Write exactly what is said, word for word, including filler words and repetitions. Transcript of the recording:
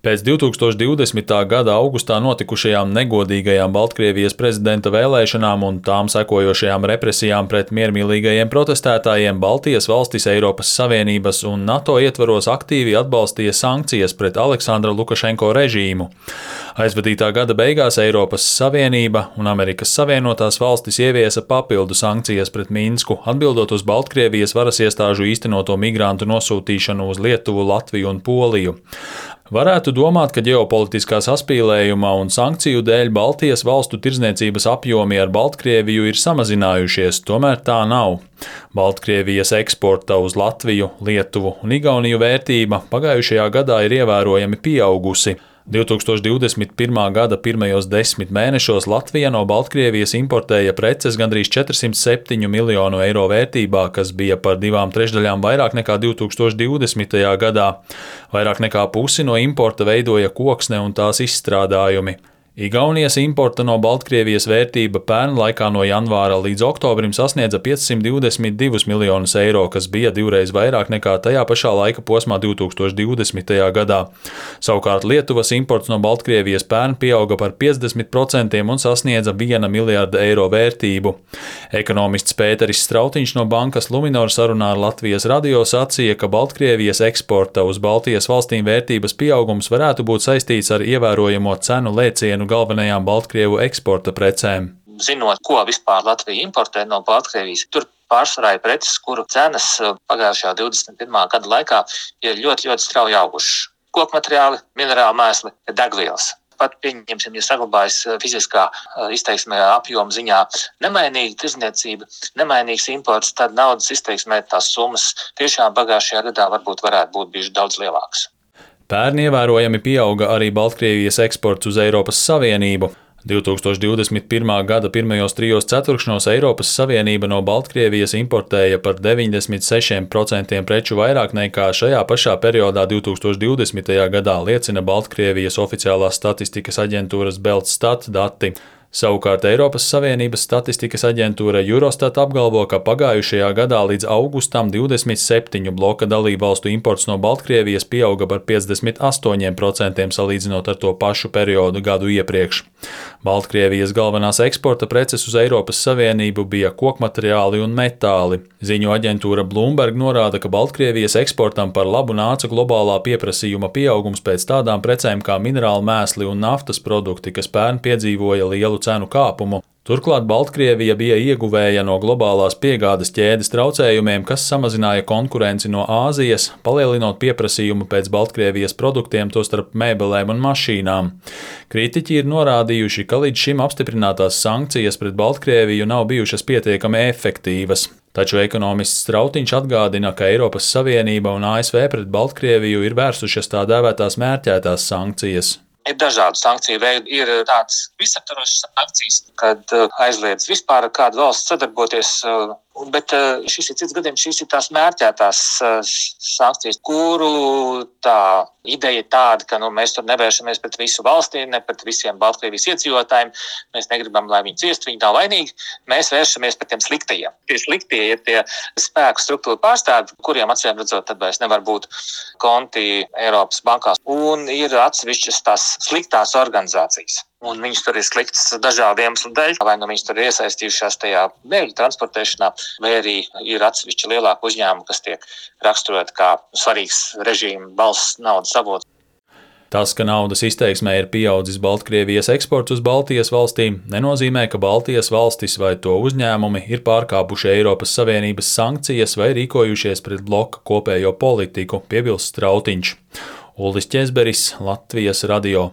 Pēc divtūkstoš divdesmitā gada augustā notikušajām negodīgajām Baltkrievijas prezidenta vēlēšanām un tām sekojošajām represijām pret miermīlīgajiem protestētājiem Baltijas valstis Eiropas Savienības un NATO ietvaros aktīvi atbalstīja sankcijas pret Aleksandra Lukašenko režīmu. Aizvadītā gada beigās Eiropas Savienība un Amerikas Savienotās valstis ieviesa papildu sankcijas pret Minsku, atbildot uz Baltkrievijas varas iestāžu īstenoto migrantu nosūtīšanu uz Lietuvu, Latviju un Poliju. Varētu domāt, ka ģeopolitiskā saspīlējuma un sankciju dēļ Baltijas valstu tirdzniecības apjomi ar Baltkrieviju ir samazinājušies, tomēr tā nav. Baltkrievijas eksporta uz Latviju, Lietuvu un Igauniju vērtība pagājušajā gadā ir ievērojami pieaugusi. divtūkstoš divdesmit pirmā gada pirmajos desmit mēnešos Latvija no Baltkrievijas importēja preces gandrīz četrsimt septiņu miljonu eiro vērtībā, kas bija par divām trešdaļām vairāk nekā divtūkstoš divdesmitajā gadā. Vairāk nekā pusi no importa veidoja koksne un tās izstrādājumi. Igaunijas importa no Baltkrievijas vērtība pērn laikā no janvāra līdz oktobrim sasniedza piecsimt divdesmit divus miljonus eiro, kas bija divreiz vairāk nekā tajā pašā laika posmā divtūkstoš divdesmitajā gadā. Savukārt Lietuvas imports no Baltkrievijas pērn pieauga par piecdesmit procentiem un sasniedza viena miljarda eiro vērtību. Ekonomists Pēteris Strautiņš no bankas Luminor sarunā ar Latvijas radio sacīja, ka Baltkrievijas eksporta uz Baltijas valstīm vērtības pieaugums varētu būt saistīts ar ievērojamo cenu lēcienu galvenajām Baltkrievu eksporta precēm. Zinot, ko vispār Latvija importē no Baltkrievijas, tur pārsvarā ir preces, kuru cenas pagājušajā divdesmit pirmā gada laikā ir ļoti, ļoti strauji augušas. Kokmateriāli, minerāli mēsli, degvielas. Pat pieņemsim, ja saglabājas fiziskā izteiksmē apjoma ziņā nemainīga tirdzniecība, nemainīgs imports, tad naudas izteiksmē tās summas tiešām pagājušajā gadā varbūt varētu būt bijuši daudz lielākas. Pērn ievērojami pieauga arī Baltkrievijas eksports uz Eiropas Savienību. divtūkstoš divdesmit pirmā gada pirmajos trijos ceturkšņos Eiropas Savienība no Baltkrievijas importēja par deviņdesmit sešiem procentiem preču vairāk nekā šajā pašā periodā divtūkstoš divdesmitajā gadā, liecina Baltkrievijas oficiālās statistikas aģentūras Beltstat dati. Savukārt Eiropas Savienības statistikas aģentūra Eurostat apgalvo, ka pagājušajā gadā līdz augustam divdesmit septiņu bloka dalībvalstu imports no Baltkrievijas pieauga par piecdesmit astoņiem procentiem salīdzinot ar to pašu periodu gadu iepriekš. Baltkrievijas galvenās eksporta preces uz Eiropas Savienību bija kokmateriāli un metāli. Ziņu aģentūra Bloomberg norāda, ka Baltkrievijas eksportam par labu nāca globālā pieprasījuma pieaugums pēc tādām precēm kā minerāli mēsli un naftas produkti, kas pērn piedzīvoja lielu cenu kāpumu. Turklāt Baltkrievija bija ieguvēja no globālās piegādes ķēdes traucējumiem, kas samazināja konkurenci no Āzijas, palielinot pieprasījumu pēc Baltkrievijas produktiem, tostarp mēbelēm un mašīnām. Kritiķi ir norādījuši, ka līdz šim apstiprinātās sankcijas pret Baltkrieviju nav bijušas pietiekami efektīvas. Taču ekonomists Strautiņš atgādina, ka Eiropas Savienība un A S V pret Baltkrieviju ir vērsušas tā dēvētās mērķētās sankcijas. Ir dažādu sankciju veidi, ir tādas visaptvarošas sankcijas, kad aizliedz vispār ar kādu valsts sadarboties, bet šis ir cits gadījums, šīs ir tās mērķētās sankcijas, kuru tā ideja ir tāda, ka nu, mēs tur nevēršamies pret visu valstī, ne pret visiem Baltkrievijas iedzīvotājiem, mēs negribam, lai viņi ciest, viņi nav vainīgi, mēs vēršamies pret tiem sliktajiem. Tie sliktie ir tie spēku struktūra pārstāvji, kuriem acīm redzot, tad vairs nevar būt konti Eiropas bankās, un ir atsevišķas tās sliktās organizācijas. Un viņas tur ir sliktas dažādiem iemeslu dēļ, vai nu viņas tur ir iesaistījušās tajā bēgļu transportēšanā, vai arī ir atsevišķi lielāki uzņēmumi, kas tiek raksturoti kā svarīgs režīma balss naudas avots. Tas, ka naudas izteiksmē ir pieaudzis Baltkrievijas eksports uz Baltijas valstīm, nenozīmē, ka Baltijas valstis vai to uzņēmumi ir pārkāpuši Eiropas Savienības sankcijas vai rīkojušies pret bloka kopējo politiku, piebilst Strautiņš. Ulris Ķezberis, Latvijas radio.